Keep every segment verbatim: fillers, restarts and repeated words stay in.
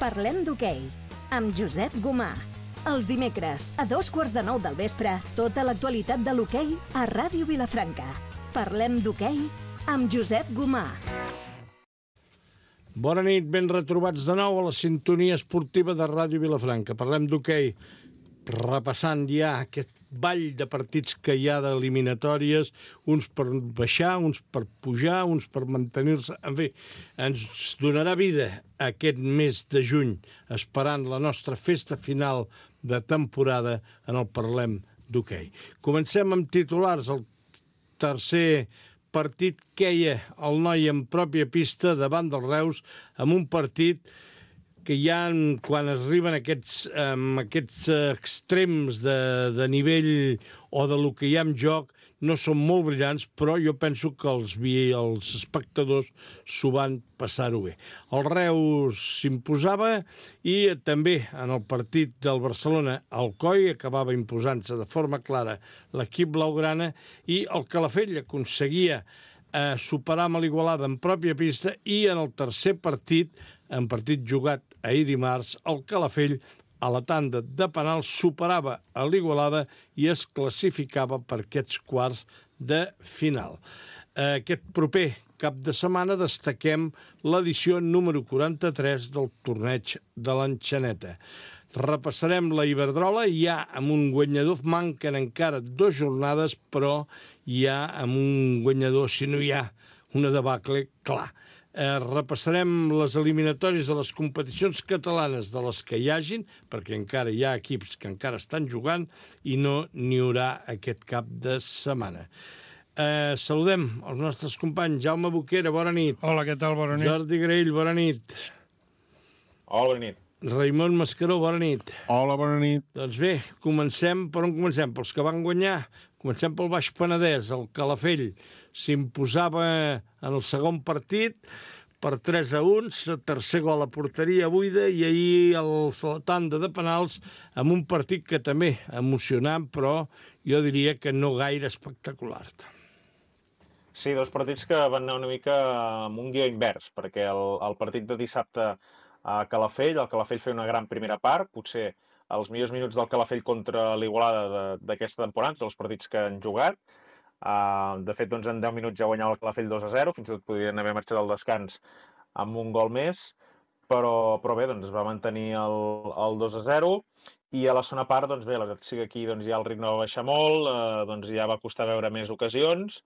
Parlem d'hoquei, amb Josep Gomà. Els dimecres, a dos quarts de nou del vespre, tota l'actualitat de l'hoquei a Ràdio Vilafranca. Parlem d'hoquei amb Josep Gomà. Bona nit, ben retrobats de nou a la sintonia esportiva de Ràdio Vilafranca. Parlem d'hoquei, repassant ja aquest ball de partits que hi ha d'eliminatòries, uns per baixar, uns per pujar, uns per mantenir-se. En fi, ens donarà vida aquest mes de juny, esperant la nostra festa final de temporada en el Parlem d'hoquei. Comencem amb titulars. El tercer partit queia el noi en pròpia pista davant del Reus, amb un partit que ja quan arriben aquests, um, aquests extrems de, de nivell o de lo que hi ha en joc no són molt brillants, però jo penso que els, els espectadors s'ho van passar-ho bé. El Reus s'imposava i també en el partit del Barcelona el Coi acabava imposant-se de forma clara l'equip blaugrana i el Calafell aconseguia eh, superar amb l'Igualada en pròpia pista i en el tercer partit, en partit jugat ahir dimarts, el Calafell a la tanda de penals superava a l'Igualada i es classificava per aquests quarts de final. Aquest proper cap de setmana destaquem l'edició número quaranta-tres del torneig de l'Enxaneta. Repassarem la Iberdrola, ja amb un guanyador, manquen encara dues jornades, però ja amb un guanyador, si no hi ha una debacle, clar. Eh, repassarem les eliminatòries de les competicions catalanes de les que hi hagin, perquè encara hi ha equips que encara estan jugant i no n'hi haurà aquest cap de setmana. Eh, saludem els nostres companys. Jaume Boquera, bona nit. Hola, què tal? Bona nit. Jordi Graell, bona nit. Hola, bona nit. Raimon Mascaró, bona nit. Hola, bona nit. Doncs bé, comencem. Per on comencem? Pels que van guanyar. Comencem pel Baix Penedès. El Calafell s'imposava en el segon partit per tres a un, tercer gol a porteria buida i ahir el tanda de penals amb un partit que també emocionant, però jo diria que no gaire espectacular. Sí, dos partits que van anar una mica amb un guió invers, perquè el, el partit de dissabte a Calafell, el Calafell feia una gran primera part, potser els millors minuts del Calafell contra l'Igualada d'aquesta temporada, dels partits que han jugat. Uh, de fet, doncs, en deu minuts ja guanyava el Calafell dos a zero, fins i tot podien haver marxat al descans amb un gol més, però, però bé, doncs, es va mantenir el, el dos a zero, i a la segona part, doncs bé, la veritat sí que aquí doncs, ja el ritme va baixar molt, uh, doncs ja va costar veure més ocasions,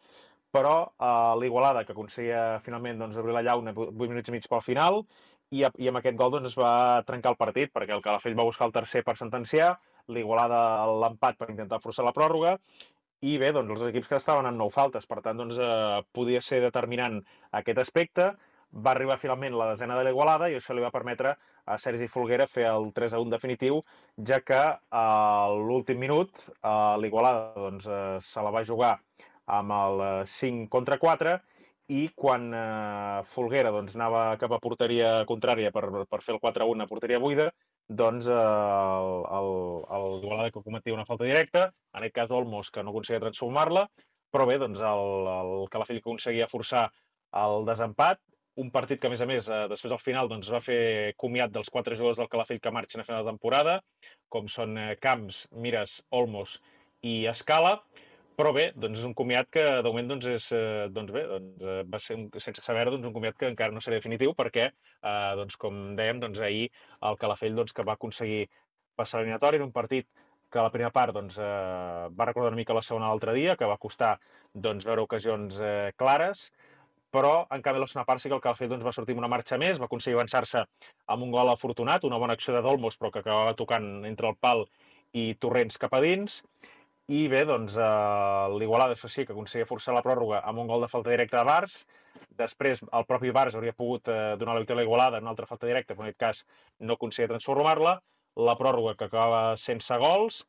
però uh, l'Igualada, que aconseguia finalment doncs, obrir la llauna vuit minuts i mig pel final, i, i amb aquest gol doncs, es va trencar el partit, perquè el Calafell va buscar el tercer per sentenciar, l'Igualada l'empat per intentar forçar la pròrroga, i bé, doncs els equips que estaven en nou faltes, per tant, doncs, eh, podia ser determinant aquest aspecte. Va arribar finalment la desena de l'Igualada i això li va permetre a Sergi Folguera fer el tres a un definitiu, ja que a l'últim minut eh, l'Igualada doncs, eh, se la va jugar amb el cinc contra quatre i quan eh, Folguera doncs, anava cap a porteria contrària per, per fer el quatre a un a porteria buida, doncs eh, l'Igualada que cometia una falta directa, en aquest cas Olmos, que no aconseguia transformar-la, però bé, doncs el, el Calafell aconseguia forçar el desempat, un partit que, a més a més, eh, després al final doncs, va fer comiat dels quatre jugadors del Calafell que marxen a final de temporada, com són eh, Camps, Mires, Olmos i Escala, però bé, doncs és un comiat que de moment doncs, és, eh, doncs bé, doncs, eh, va ser, un, sense saber, doncs, un comiat que encara no serà definitiu perquè, eh, doncs, com dèiem, doncs, ahir el Calafell doncs, que va aconseguir passar l'eliminatori en un partit que a la primera part doncs, eh, va recordar una mica la segona l'altre dia, que va costar doncs, veure ocasions eh, clares, però en canvi la segona part sí que el Calafell doncs, va sortir amb una marxa més, va aconseguir avançar-se amb un gol afortunat, una bona acció de Dolmos, però que acabava tocant entre el pal i Torrents cap a dins. I bé, doncs, eh, l'Igualada, això sí, que aconseguia forçar la pròrroga amb un gol de falta directa de Bars. Després, el propi Bars hauria pogut eh, donar la victòria a l'Igualada en una altra falta directa, però en aquest cas no aconseguia transformar-la. La pròrroga que acaba sense gols.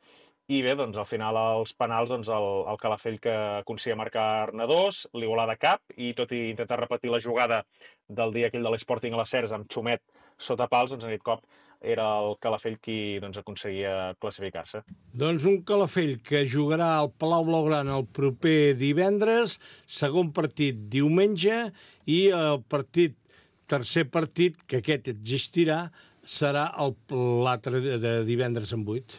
I bé, doncs, al final, als penals, doncs, el, el Calafell que aconseguia marcar-ne dos, l'Igualada cap, i tot i intentar repetir la jugada del dia aquell de l'Sporting a les Cercs amb Xumet sota pals, doncs, en aquest cop era el Calafell qui doncs, aconseguia classificar-se. Doncs un Calafell que jugarà al Palau Blaugrana el proper divendres, segon partit diumenge, i el partit, tercer partit, que aquest existirà, serà l'altre de divendres en vuit.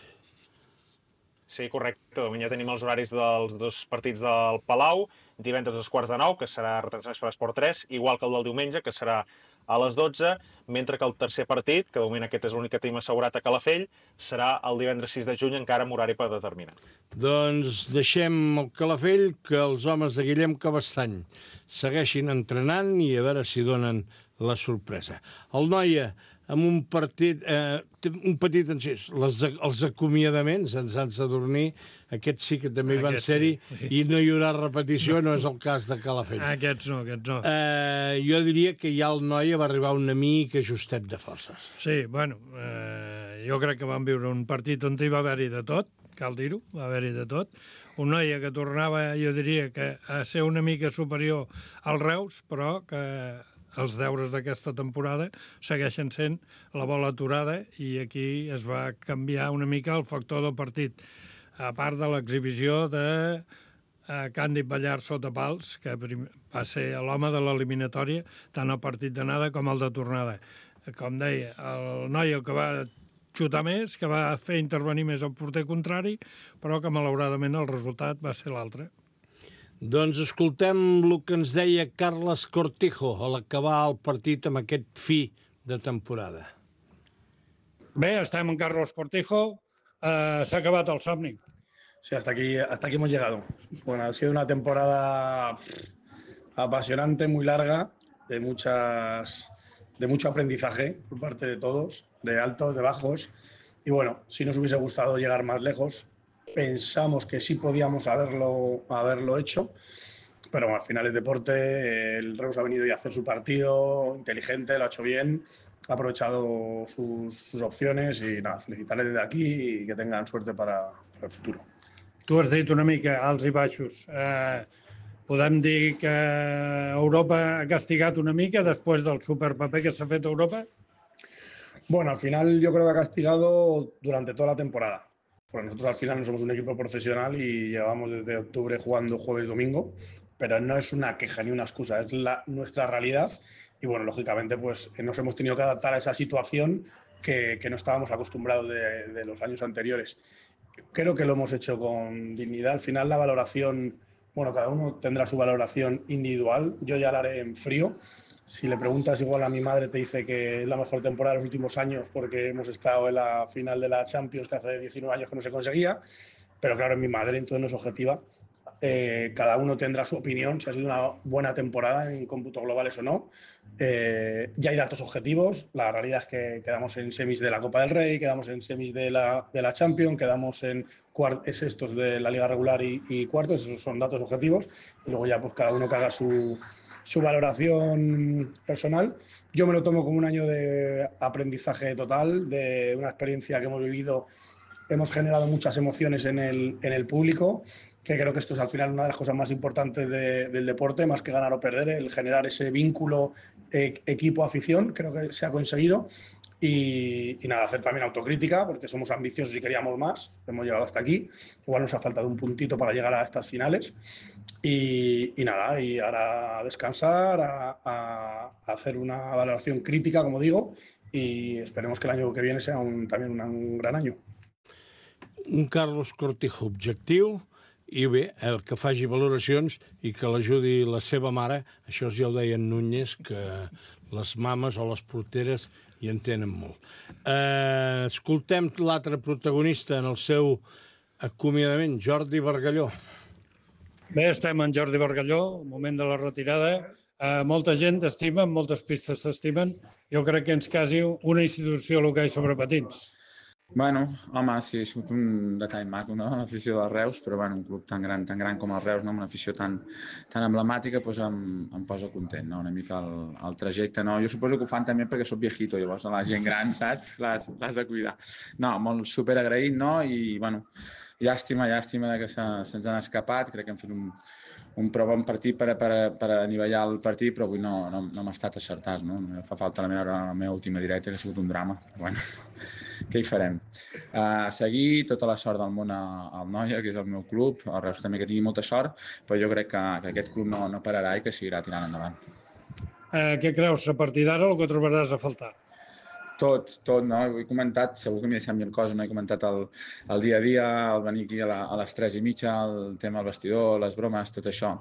Sí, correcte. Demà ja tenim els horaris dels dos partits del Palau. Divendres a dos quarts de nou, que serà retransmès per Esport tres, igual que el del diumenge, que serà a les dotze, mentre que el tercer partit, que de moment aquest és l'únic que tenim assegurat a Calafell, serà el divendres sis de juny, encara amb horari per determinar. Doncs deixem el Calafell, que els homes de Guillem Cabestany segueixin entrenant i a veure si donen la sorpresa. El Noia, amb un partit, eh, un petit encís, les, els acomiadaments, ens han de dormir, aquests sí que també van ser-hi, sí. I no hi haurà repetició, no és el cas de Calafell. Aquests no, aquests no. Eh, jo diria que ja el Noia va arribar una mica justet de forces. Sí, bueno, eh, jo crec que van viure un partit on hi va haver-hi de tot, cal dir-ho, va haver-hi de tot. Un Noia que tornava, jo diria, que a ser una mica superior al Reus, però que els deures d'aquesta temporada segueixen sent la bola aturada i aquí es va canviar una mica el factor del partit. A part de l'exhibició de uh, Càndid Ballar sota pals, que va ser l'home de l'eliminatòria, tant el partit d'anada com el de tornada. Com deia, el noi el que va xutar més, que va fer intervenir més el porter contrari, però que malauradament el resultat va ser l'altre. Doncs escoltem el que ens deia Carles Cortijo a l'acabar el partit amb aquest fi de temporada. Bé, estem amb Carlos Cortijo. Uh, s'ha acabat el somni. Sí, hasta aquí, hasta aquí hemos llegado. Bueno, ha sido una temporada apasionante, muy larga, de muchas, de mucho aprendizaje por parte de todos, de altos, de bajos. Y bueno, si nos hubiese gustado llegar más lejos, pensamos que sí podíamos haberlo, haberlo hecho, pero bueno, al final es deporte, el Reus ha venido y a hacer su partido, inteligente, lo ha hecho bien, ha aprovechado sus, sus opciones y nada, felicitarles desde aquí y que tengan suerte para, para el futuro. Tu has dit una mica alts i baixos. Eh, podem dir que Europa ha castigat una mica después del superpaper que s'ha fet a Europa? Bueno, al final yo creo que ha castigado durante toda la temporada. Porque nosotros al final no somos un equipo profesional y llevamos desde octubre jugando jueves y domingo, pero no es una queja ni una excusa, es la, nuestra realidad. Y bueno, lógicamente pues nos hemos tenido que adaptar a esa situación que, que no estábamos acostumbrados de, de los años anteriores. Creo que lo hemos hecho con dignidad. Al final la valoración, bueno, cada uno tendrá su valoración individual. Yo ya la haré en frío. Si le preguntas igual a mi madre te dice que es la mejor temporada de los últimos años porque hemos estado en la final de la Champions que hace diecinueve años que no se conseguía. Pero claro, es mi madre, entonces no es objetiva. Eh, cada uno tendrá su opinión, si ha sido una buena temporada en cómputos globales o no. Eh, ya hay datos objetivos, la realidad es que quedamos en semis de la Copa del Rey, quedamos en semis de la, de la Champions, quedamos en sextos de la Liga Regular y, y cuartos, esos son datos objetivos. Y luego ya pues cada uno que haga su, su valoración personal. Yo me lo tomo como un año de aprendizaje total, de una experiencia que hemos vivido. Hemos generado muchas emociones en el, en el público, que creo que esto es al final una de las cosas más importantes de, del deporte, más que ganar o perder, el generar ese vínculo eh, equipo-afición, creo que se ha conseguido. Y, y nada, hacer también autocrítica, porque somos ambiciosos y queríamos más, hemos llegado hasta aquí, igual nos ha faltado un puntito para llegar a estas finales. Y, y nada, y ahora a descansar, a, a, a hacer una valoración crítica, como digo, y esperemos que el año que viene sea un, también un, un gran año. Un Carlos Cortijo objectiu i bé, el que faci valoracions i que l'ajudi la seva mare, això ja ho deia en Núñez, que les mames o les porteres hi entenen molt. Eh, escoltem l'altre protagonista en el seu acomiadament, Jordi Bargalló. Bé, estem en Jordi Bargalló, moment de la retirada. Eh, molta gent t'estima, moltes pistes t'estimen. Jo crec que ens quasi una institució l'hoquei sobre patins. Bueno, home, sí, és un detall maco, no?, l'afició del Reus, però bueno, un club tan gran, tan gran com el Reus, no?, amb una afició tan, tan emblemàtica, doncs em, em posa content, no?, una mica el, el trajecte, no? Jo suposo que ho fan també perquè soc viejito, llavors la gent gran, saps?, l'has de cuidar. No, molt superagraït, no?, i bueno, llàstima, llàstima que se, se'ns han escapat, crec que hem fet un, un prou bon partit per, per, per anivellar el partit, però avui no, no, no m'ha estat acertat, no? Fa falta la meva, la meva última directa, que ha sigut un drama, però bueno, què hi farem? Uh, seguir, tota la sort del món al Noia, que és el meu club, el Reus també que tingui molta sort, però jo crec que, que aquest club no, no pararà i que seguirà tirant endavant. Eh, què creus, a partir d'ara, el que trobaràs a faltar? Tot, tot, no? Ho he comentat, segur que m'he deixat mil coses, no he comentat el, el dia a dia, el venir aquí a, la, a les tres i mitja, el tema del vestidor, les bromes, tot això.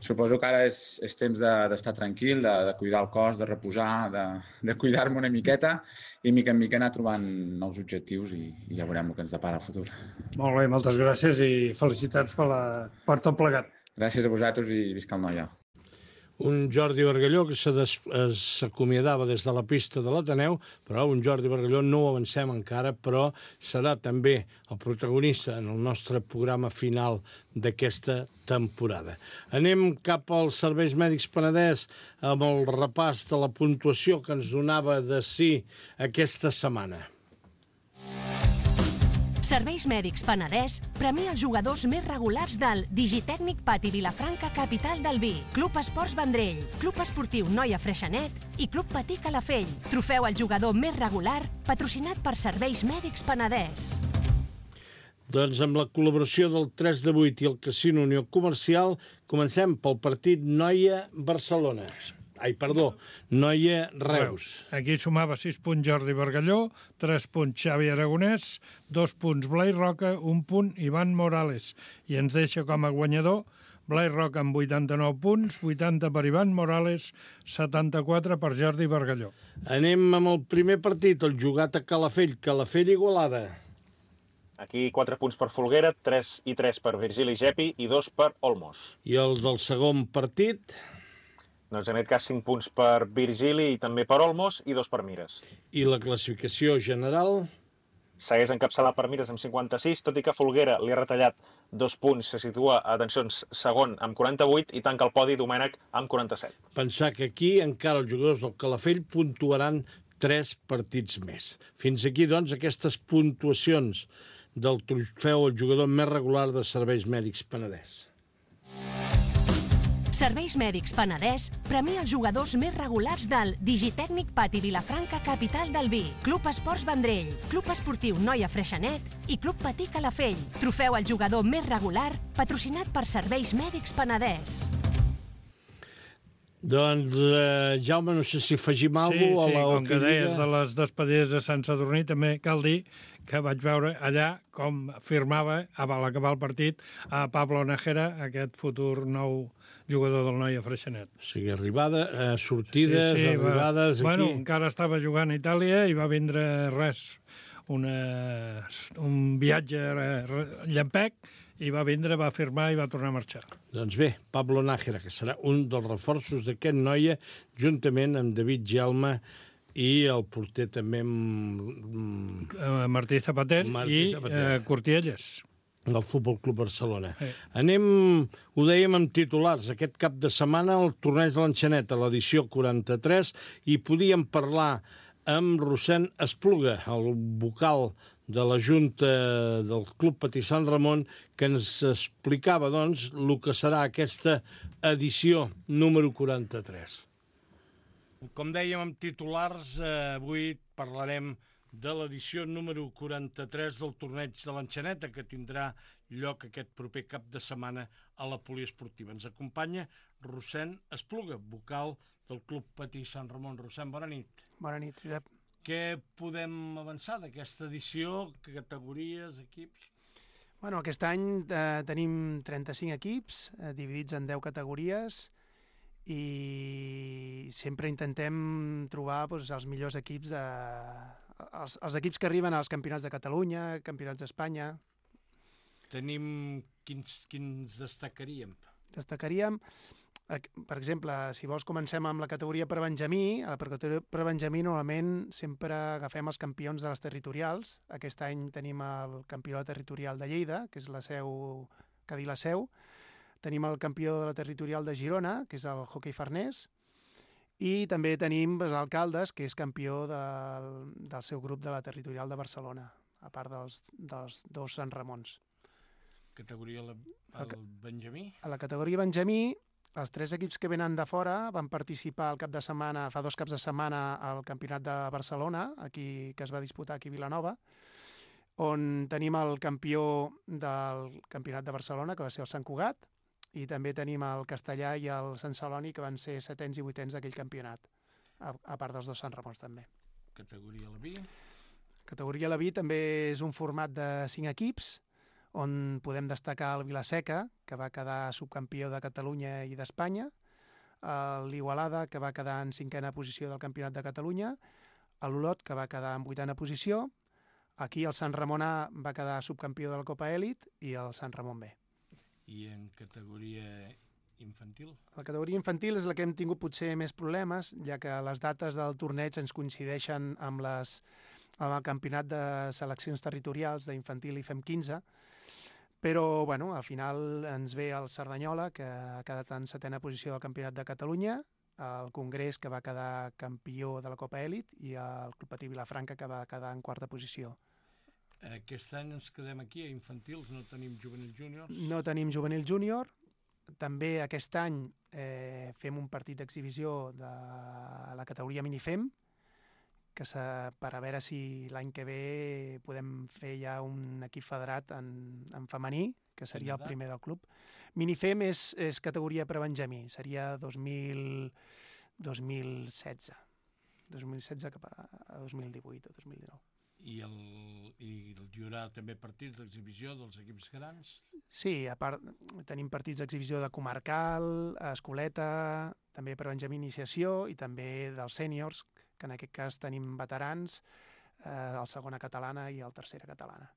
Suposo que ara és, és temps d'estar de, tranquil, de, de cuidar el cos, de reposar, de, de cuidar-me una miqueta i mica en mica anar trobant nous objectius i, i ja veurem el que ens depara el futur. Molt bé, moltes gràcies i felicitats per, la, per tot plegat. Gràcies a vosaltres i visca el Noia. Un Jordi Bargalló que s'acomiadava des de la pista de l'Ateneu, però un Jordi Bargalló no ho avancem encara, però serà també el protagonista en el nostre programa final d'aquesta temporada. Anem cap als Serveis Mèdics Penedès amb el repàs de la puntuació que ens donava de sí aquesta setmana. Serveis Mèdics Penedès premia els jugadors més regulars del Digitècnic Pati Vilafranca, capital del vi, Club Esports Vendrell, Club Esportiu Noia Freixenet i Club Patí Calafell. Trofeu al jugador més regular, patrocinat per Serveis Mèdics Penedès. Doncs amb la col·laboració del tres de vuit i el Casino Unió Comercial, comencem pel partit Noia-Barcelona. Ai, perdó, Noia-Reus. Aquí sumava sis punts Jordi Bargalló, tres punts Xavi Aragonès, dos punts Blai Roca, un punt Ivan Morales. I ens deixa com a guanyador Blai Roca amb vuitanta-nou punts, vuitanta per Ivan Morales, setanta-quatre per Jordi Bargalló. Anem amb el primer partit, el jugat a Calafell, Calafell-Igualada. Aquí quatre punts per Folguera, tres i tres per Virgili Gepi i dos per Olmos. I els del segon partit? Doncs en aquest cas cinc punts per Virgili i també per Olmos i dos per Mires. I la classificació general? Segueix encapçalat per Mires amb cinquanta-sis, tot i que Folguera li ha retallat dos punts, se situa, atencions, segon amb quaranta-vuit i tanca el podi Domènec amb quaranta-set. Pensar que aquí encara els jugadors del Calafell puntuaran tres partits més. Fins aquí, doncs, aquestes puntuacions del trofeu al jugador més regular de Serveis Mèdics Penedès. Serveis Mèdics Penedès premia els jugadors més regulars del Digitècnic Pati Vilafranca, capital del vi, Club Esports Vendrell, Club Esportiu Noia Freixenet i Club Patí Calafell. Trofeu al jugador més regular, patrocinat per Serveis Mèdics Penedès. Doncs, eh, Jaume, no sé si afegim alguna cosa sí, a la sí, com que deies Lliga. de les despedides de Sant Sadurní, també cal dir que vaig veure allà com firmava, a l'acabar el partit, a Pablo Nájera, aquest futur nou jugador del Noia Freixenet. O sigui, arribada, eh, sortides, sí, sí, arribades... Va, aquí. Bueno, encara estava jugant a Itàlia i va vindre res, una, un viatge llampec, i va vindre, va firmar i va tornar a marxar. Doncs bé, Pablo Nájera, que serà un dels reforços d'aquest Noia, juntament amb David Gelma i el porter també amb... Martí Zapater Martí i Zapater. eh, Cortielles. Del Futbol Club Barcelona. Sí. Anem, ho dèiem amb titulars, aquest cap de setmana el torneig de l'Enxaneta, l'edició quaranta-tres, i podíem parlar amb Rossèn Espluga, el vocal de la Junta del Club Patí Sant Ramon, que ens explicava, doncs, el que serà aquesta edició número quaranta-tres. Com dèiem amb titulars, eh, avui parlarem de l'edició número quaranta-tres del torneig de l'Enxaneta, que tindrà lloc aquest proper cap de setmana a la poliesportiva. Ens acompanya Rossèn Espluga, vocal del Club Patí Sant Ramon. Rossèn, bona nit. Bona nit, Josep. Què podem avançar d'aquesta edició? Categories, equips? Bueno, aquest any eh, tenim trenta-cinc equips, eh, dividits en deu categories, i sempre intentem trobar doncs, els millors equips, de... els, els equips que arriben als campionats de Catalunya, campionats d'Espanya. Tenim... Quins, quins destacaríem? Destacaríem, per exemple, si vols comencem amb la categoria per Benjamí. A la categoria per Benjamí normalment sempre agafem els campions de les territorials. Aquest any tenim el campió de la territorial de Lleida, que és la seu, Cadí la Seu. Tenim el campió de la territorial de Girona, que és el hoquei farnès. I també tenim els alcaldes, que és campió del, del seu grup de la territorial de Barcelona, a part dels, dels dos Sant Ramons. Categoria el, el Benjamí? A la categoria Benjamí, els tres equips que venen de fora van participar el cap de setmana, fa dos caps de setmana al Campionat de Barcelona, aquí, que es va disputar aquí a Vilanova, on tenim el campió del Campionat de Barcelona, que va ser el Sant Cugat, i també tenim el Castellà i el Sant Celoni, que van ser setens i vuitens d'aquell campionat, a, a part dels dos Sant Ramons també. categoria la B? Categoria la B també és un format de cinc equips, on podem destacar el Vilaseca, que va quedar subcampió de Catalunya i d'Espanya, l'Igualada, que va quedar en cinquena posició del Campionat de Catalunya, l'Olot, que va quedar en vuitena posició, aquí el Sant Ramon A va quedar subcampió de la Copa Elit i el Sant Ramon B. I en categoria infantil? La categoria infantil és la que hem tingut potser més problemes, ja que les dates del torneig ens coincideixen amb, les, amb el campionat de seleccions territorials d'infantil i F E M quinze, però bueno, al final ens ve el Cerdanyola, que ha quedat en setena posició del Campionat de Catalunya, el Congrés, que va quedar campió de la Copa Elit, i el Club Patí Vilafranca, que va quedar en quarta posició. Aquest any ens quedem aquí, a infantils, no tenim juvenil júnior? No tenim juvenil júnior. També aquest any eh, fem un partit d'exhibició de la categoria Minifem, que per a veure si l'any que ve podem fer ja un equip federat en, en femení, que seria el primer del club. Minifem és, és categoria prebenjamí, seria dos mil setze. dos mil setze cap a, a dos mil divuit o dos mil dinou. I, el, i hi haurà també partits d'exhibició dels equips grans? Sí, a part tenim partits d'exhibició de comarcal, escoleta, també per Benjamí Iniciació i també dels sèniors, que en aquest cas tenim veterans, eh, el segona catalana i el tercera catalana.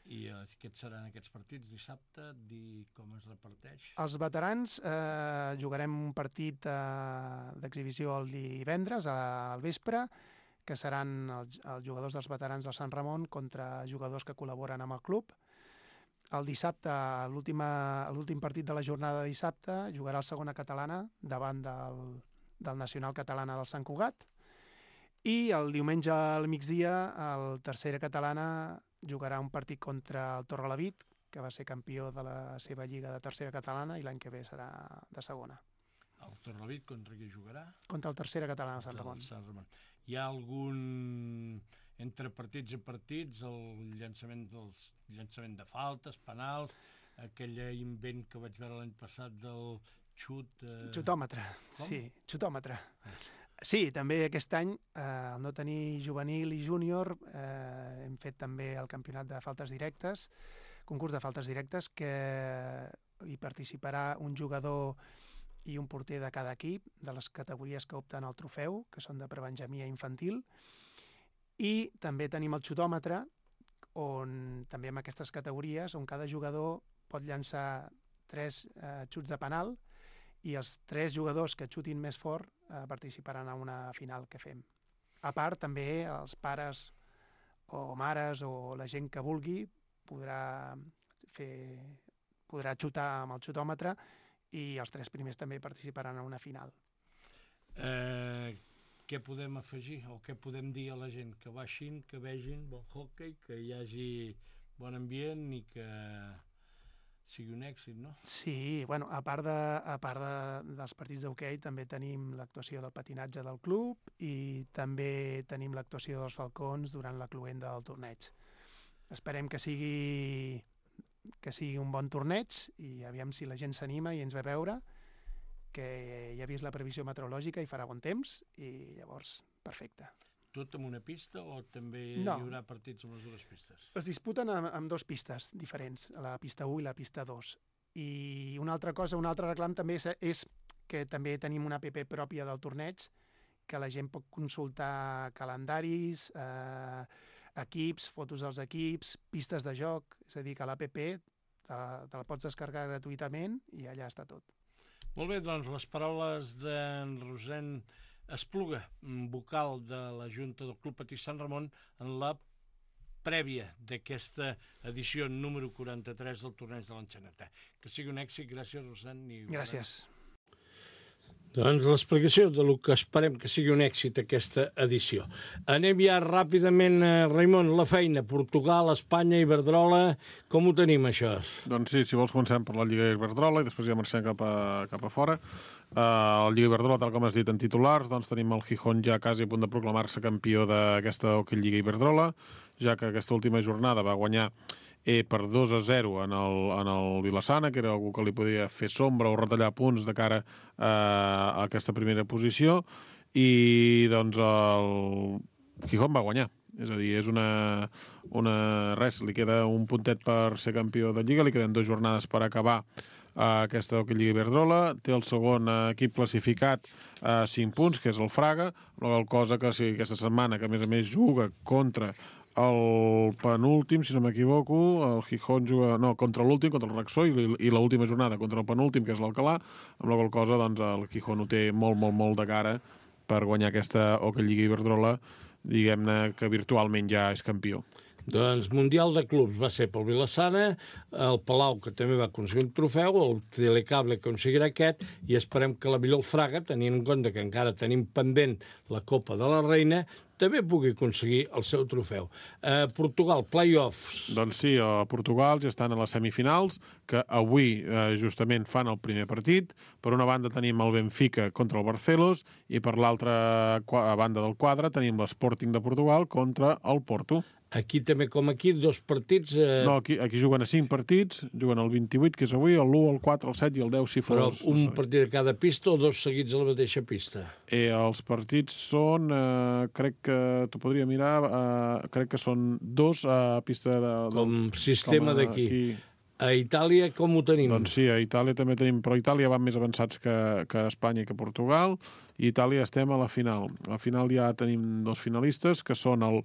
I aquests seran aquests partits dissabte? Dir com es reparteix? Els veterans eh, jugarem un partit eh, d'exhibició el divendres al vespre, que seran els, els jugadors dels veterans del Sant Ramon contra jugadors que col·laboren amb el club. El dissabte, l'últim partit de la jornada de dissabte, jugarà el segona catalana davant del, del Nacional Catalana del Sant Cugat. I el diumenge al migdia, el tercera catalana jugarà un partit contra el Torrelavit, que va ser campió de la seva lliga de tercera catalana i l'any que ve serà de segona. El Torrelavit contra qui jugarà? Contra el tercera catalana del Sant Ramon. Sant Ramon. Hi ha algun, entre partits i partits, el llançament, dels, llançament de faltes, penals, aquell invent que vaig veure l'any passat del xut... Eh... Xutòmetre, Com? sí, xutòmetre. Sí, també aquest any, eh, al no tenir juvenil i júnior, eh, hem fet també el campionat de faltes directes, concurs de faltes directes, que hi participarà un jugador i un porter de cada equip, de les categories que opten al trofeu, que són de prebenjamia infantil. I també tenim el xutòmetre, on també en aquestes categories, on cada jugador pot llançar tres eh, xuts de penal, i els tres jugadors que xutin més fort eh, participaran a una final que fem. A part, també els pares o mares o la gent que vulgui podrà, fer, podrà xutar amb el xutòmetre, i els tres primers també participaran en una final. Eh, què podem afegir o què podem dir a la gent? Que baixin, que vegin bon hockey, que hi hagi bon ambient i que sigui un èxit, no? Sí, bueno, a part, de, a part de, dels partits d'hoquei també tenim l'actuació del patinatge del club i també tenim l'actuació dels falcons durant la cloenda del torneig. Esperem que sigui... que sigui un bon torneig i aviam si la gent s'anima i ens ve a veure, que ja ha vist la previsió meteorològica i farà bon temps i llavors, perfecte. Tot amb una pista o també no. hi haurà partits amb les dues pistes? Es disputen amb, amb dues pistes diferents, la pista u i la pista dos. I una altra cosa, un altre reclam també és, és que també tenim una app pròpia del torneig, que la gent pot consultar calendaris, eh, equips, fotos dels equips, pistes de joc, és a dir, que l'app te, te la pots descarregar gratuïtament i allà està tot. Molt bé, doncs les paraules d'en Rosén Espluga, vocal de la Junta del Club Patí Sant Ramon, en la prèvia d'aquesta edició número quaranta-tres del torneig de l'Enxaneta. Que sigui un èxit, gràcies, Rosén. I gràcies. Doncs l'explicació de lo que esperem que sigui un èxit aquesta edició. Anem ja ràpidament, Raimon, la feina. Portugal, Espanya, Iberdrola, com ho tenim, això? Doncs sí, si vols comencem per la Lliga Iberdrola i després ja marxem cap a, cap a fora. Uh, el Lliga Iberdrola, tal com has dit en titulars, doncs tenim el Gijón ja quasi a punt de proclamar-se campió d'aquesta Hockey Lliga Iberdrola, ja que aquesta última jornada va guanyar eh, per dos a zero en el, en el Vilassana, que era algú que li podia fer sombra o retallar punts de cara uh, a aquesta primera posició, i doncs el Gijón va guanyar. És a dir, és una, una... res, li queda un puntet per ser campió de Lliga, li queden dues jornades per acabar uh, aquesta Hockey Lliga Iberdrola, té el segon uh, equip classificat a uh, cinc punts, que és el Fraga, la cosa que sí, aquesta setmana, que a més a més juga contra el penúltim, si no m'equivoco, el Gijón juga, no, contra l'últim, contra el Raxó, i, i l'última jornada contra el penúltim, que és l'Alcalà, amb la qual cosa doncs, el Gijón ho té molt, molt, molt de cara per guanyar aquesta Hockey Lliga Iberdrola, diguem-ne que virtualment ja és campió. Doncs Mundial de Clubs va ser pel Vilassana, el Palau, que també va aconseguir un trofeu, el Telecable que aconseguirà aquest, i esperem que la millor Fraga, tenint en compte que encara tenim pendent la Copa de la Reina, també pugui aconseguir el seu trofeu. Eh, Portugal, play-offs. Doncs sí, a Portugal ja estan a les semifinals, que avui eh, justament fan el primer partit. Per una banda tenim el Benfica contra el Barcelos i per l'altra banda del quadre tenim l'Sporting de Portugal contra el Porto. Aquí també, com aquí, dos partits... Eh... No, aquí, aquí juguen a cinc partits, juguen el vint-i-vuit, que és avui, el l'u, el quatre, el set i el deu, si fos... Però un no sé. Partit a cada pista o dos seguits a la mateixa pista? Eh, els partits són, eh, crec que t'ho podria mirar, eh, crec que són dos a pista de... Com sistema d'aquí. A Itàlia com ho tenim? Doncs sí, a Itàlia també tenim, però a Itàlia van més avançats que, que Espanya i que Portugal, i a Itàlia estem a la final. A la final ja tenim dos finalistes, que són el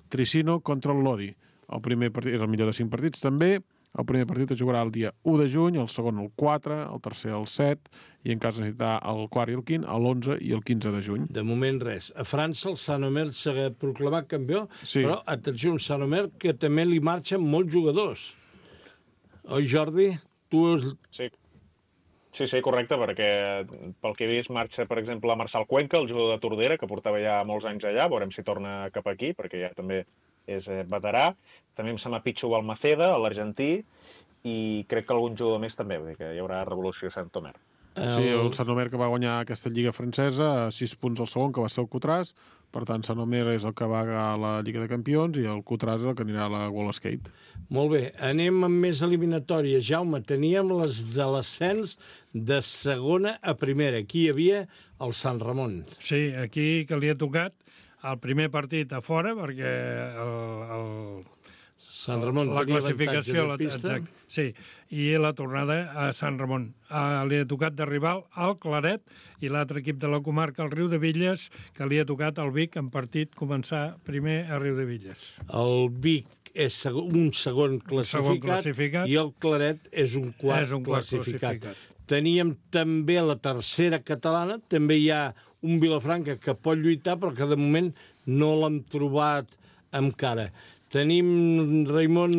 Tricino contra el Lodi. El primer partit és el millor de cinc partits també, el primer partit es jugarà el dia u de juny, el segon el quatre, el tercer el set, i en cas de necessitar el quart i el quint, l'onze i el quinze de juny. De moment res. A França el Saint-Omer s'ha proclamat campió, sí. Però atenció, un Saint-Omer que també li marxen molts jugadors. Oi, Jordi? Tu... Sí. sí, sí, correcte, perquè pel que he vist marxa, per exemple, Marçal Cuenca, el jugador de Tordera, que portava ja molts anys allà, veurem si torna cap aquí, perquè ja també és veterà. També em sembla Pichu Balmaceda, l'argentí, i crec que algun jugador més també, vull dir que hi haurà revolució a Saint-Omer. Sí, el Saint-Omer que va guanyar aquesta lliga francesa, a sis punts al segon, que va ser el Coutras. Per tant, Saint-Omer és el que va a la Lliga de Campions i el Coutras és el que anirà a la World Skate. Molt bé, anem amb més eliminatòries. Jaume, teníem les de l'ascens de segona a primera. Aquí hi havia el Sant Ramon. Sí, aquí que li ha tocat el primer partit a fora, perquè el... el... Sant Ramon la tenia classificació, avantatge de pista. Exacte, sí, i la tornada a Sant Ramon. Uh, li ha tocat de rival al Claret i l'altre equip de la comarca, el Riu de Villes, que li ha tocat al Vic en partit començar primer a Riu de Villes. El Vic és un segon classificat, segon classificat i el Claret és un quart, és un quart classificat. classificat. Teníem també la tercera catalana, també hi ha un Vilafranca que pot lluitar, però que de moment no l'hem trobat encara. Tenim, Raimon,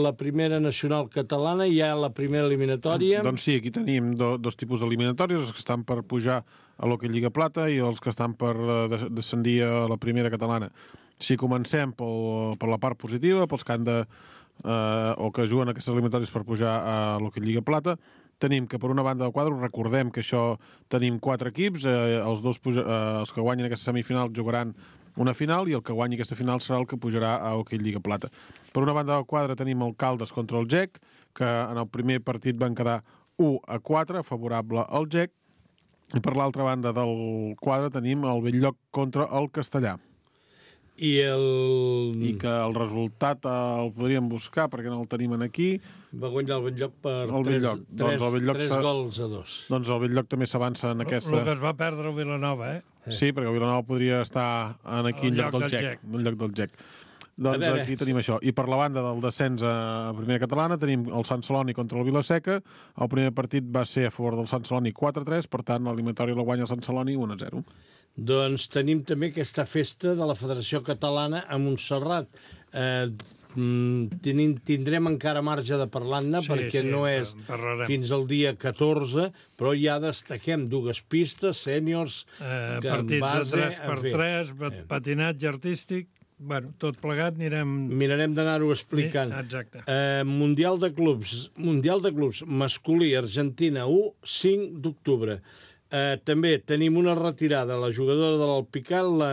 la primera nacional catalana, hi ha la primera eliminatòria. Doncs sí, aquí tenim do, dos tipus d'eliminatòries, els que estan per pujar a l'Hockey Lliga Plata i els que estan per uh, descendir a la primera catalana. Si comencem pel, per la part positiva, pels que han de, uh, o que juguen aquestes eliminatòries per pujar a l'Hockey Lliga Plata, tenim que per una banda del quadre, recordem que això tenim quatre equips, eh, els, dos puja, eh, els que guanyen aquesta semifinal jugaran una final i el que guanyi aquesta final serà el que pujarà a Hockey Lliga Plata. Per una banda del quadre tenim el Caldes contra el G E C, que en el primer partit van quedar u a quatre, favorable al G E C, i per l'altra banda del quadre tenim el Belllloc contra el Castellà. I el... I que el resultat el podríem buscar perquè no el tenim aquí. Va guanyar el Belllloc per el tres, Belllloc. tres, doncs el Belllloc tres gols a dos. Doncs el Belllloc també s'avança en aquesta... El que es va perdre el Vilanova, eh? Sí, perquè el Vilanova podria estar en aquí en lloc del G E C. En lloc del G E C. Doncs veure, aquí tenim això. I per la banda del descens a primera catalana tenim el Sant Celoni contra el Vilaseca. El primer partit va ser a favor del Sant Celoni quatre a tres, per tant l'eliminatòria la guanya el Sant Celoni u a zero. Doncs tenim també aquesta festa de la Federació Catalana a Montserrat. Eh, tenim, tindrem encara marge de parlar-ne, sí, perquè sí, no és parlarem. Fins al dia catorze, però ja destaquem dues pistes, sèniors, eh, partits base, de tres per tres, patinatge artístic. Bueno, tot plegat anirem... Mirarem d'anar-ho explicant. Exacte. Eh, Mundial de Clubs. Mundial de Clubs masculí, Argentina, u, cinc d'octubre. Eh, també tenim una retirada, la jugadora de l'Alpicat, la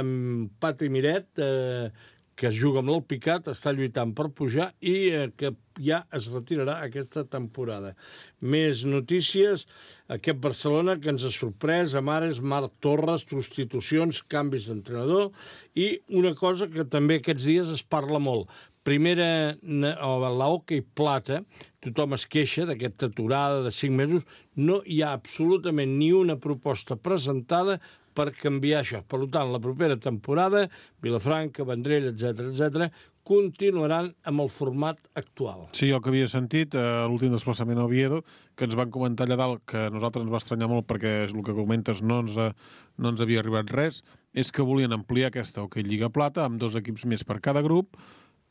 Pati Miret, eh, que es juga amb l'Alpicat, està lluitant per pujar i eh, que ja es retirarà aquesta temporada. Més notícies, aquest Barcelona que ens ha sorprès, Amares, Marc Torres, substitucions, canvis d'entrenador i una cosa que també aquests dies es parla molt. Primera, la hoquei plata, tothom es queixa d'aquesta aturada de cinc mesos, no hi ha absolutament ni una proposta presentada per canviar això. Per tant, la propera temporada, Vilafranca, Vendrell, etcètera, etcètera, continuaran amb el format actual. Sí, el que havia sentit, eh, l'últim desplaçament a Oviedo, que ens van comentar allà dalt, que a nosaltres ens va estranyar molt perquè el que comentes no ens, no ens havia arribat res, és que volien ampliar aquesta Hoquei Lliga Plata amb dos equips més per cada grup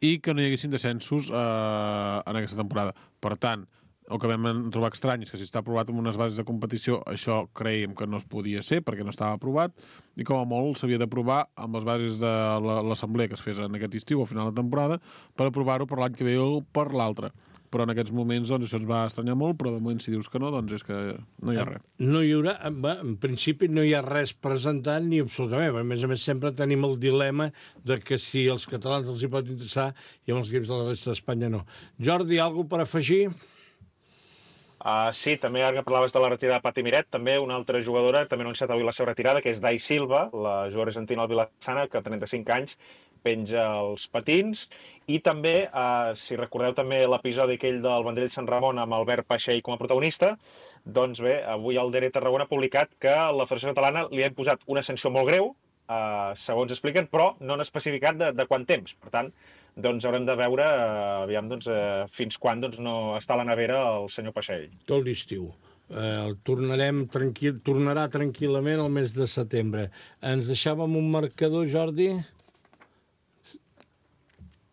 i que no hi haguessin descensos eh, en aquesta temporada. Per tant, el que vam trobar estrany és que si està aprovat amb unes bases de competició, això creiem que no es podia ser perquè no estava aprovat i com a molt s'havia d'aprovar amb les bases de l'assemblea que es fes en aquest estiu o final de temporada per aprovar-ho per l'any que ve o per l'altre. Però en aquests moments doncs, això ens va estranyar molt, però de moment si dius que no, doncs és que no hi ha res. No hi haurà, en principi no hi ha res presentant ni absolutament. A més a més, sempre tenim el dilema de que si els catalans els hi pot interessar i amb els equips de la resta d'Espanya no. Jordi, alguna cosa per afegir? Uh, sí, també ara que parlaves de la retirada de Pati Miret, també una altra jugadora, també ha anunciat avui la seva retirada, que és Dai Silva, la jugadora argentina al Vilassana, que a trenta-cinc anys penja els patins, i també, uh, si recordeu també l'episodi aquell del Vendrell Sant Ramon amb Albert Paixell com a protagonista, doncs bé, avui el D E R Tarragona ha publicat que la Federació Catalana li ha imposat una sanció molt greu, uh, segons expliquen, però no han especificat de, de quant temps. Per tant, doncs haurem de veure uh, aviam, doncs, uh, fins quan doncs, no està a la nevera el senyor Paixell. Tot l'estiu. Eh, tornarem tranquil, tornarà tranquil·lament el mes de setembre. Ens deixàvem un marcador, Jordi?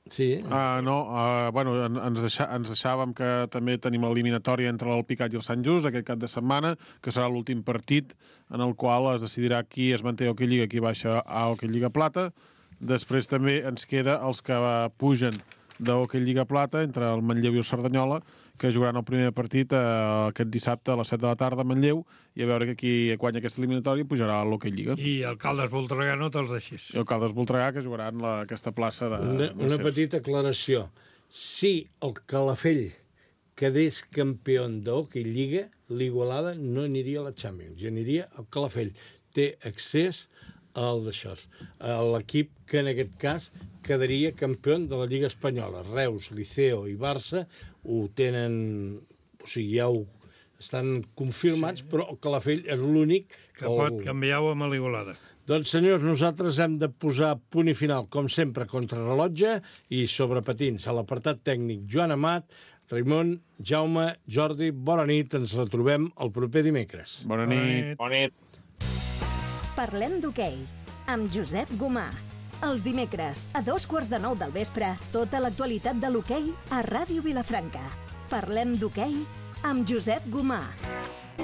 Sí. Uh, no, uh, bueno, ens, deixà, ens deixàvem que també tenim l'eliminatòria entre l'Alpicat i el Sant Just aquest cap de setmana, que serà l'últim partit en el qual es decidirà qui es manté a Hoquei Lliga, qui baixa a Hoquei Lliga Plata. Després també ens queda els que pugen de Hoquei Lliga Plata entre el Manlleu i el Cerdanyola, que jugaran el primer partit eh, aquest dissabte a les set de la tarda a Manlleu, i a veure que qui guanya aquesta eliminatòria pujarà a l'Hoquei Lliga. I el Caldes Voltregà no te'ls deixis. I el Caldes Voltregà, que jugaran la, aquesta plaça de... Una, una de petita aclaració. Si el Calafell quedés campió d'Hoquei Lliga, l'Igualada no aniria a la Champions, ja aniria al Calafell. Té accés al d'això. L'equip que en aquest cas quedaria campió de la Lliga Espanyola. Reus, Liceo i Barça ho tenen... O sigui, ja ho estan confirmats, sí. Però el Calafell és l'únic que, que pot canviar-ho amb l'Igualada. Doncs, senyors, nosaltres hem de posar punt i final, com sempre, contra rellotge i sobre patins. A l'apartat tècnic, Joan Amat, Raimon, Jaume, Jordi, bona nit. Ens retrobem el proper dimecres. Bona nit. Bona nit. Parlem d'hoquei, amb Josep Gomà. Els dimecres, a dos quarts de nou del vespre, tota l'actualitat de l'hoquei a Ràdio Vilafranca. Parlem d'hoquei amb Josep Gomà.